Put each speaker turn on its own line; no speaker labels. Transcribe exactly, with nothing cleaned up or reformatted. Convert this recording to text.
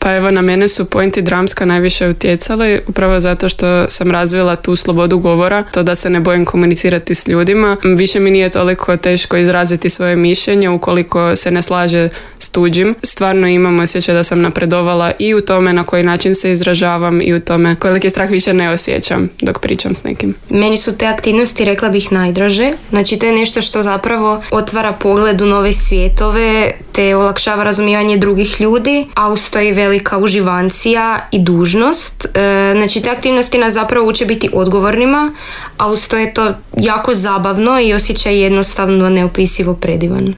Pa evo, na mene su Point i Dramska najviše utjecali, upravo zato što sam razvila tu slobodu govora, to da se ne bojim komunicirati s ljudima. Više mi nije toliko teško izraziti svoje mišljenje ukoliko se ne slaže s tuđim. Stvarno imam osjećaj da sam napredovala i u tome na koji način se izražavam i u tome koliki strah više ne osjećam dok pričam s nekim.
Meni su te aktivnosti, rekla bih, najdraže. Znači, to je nešto što zapravo otvara pogled u nove svijetove, te olakšava razumijevanje drugih ljudi, a uz to je velika uživancija i dužnost. E, znači, te aktivnosti nas zapravo uče biti odgovornima, a uz to je to jako zabavno i osjećaj jednostavno neopisivo predivan.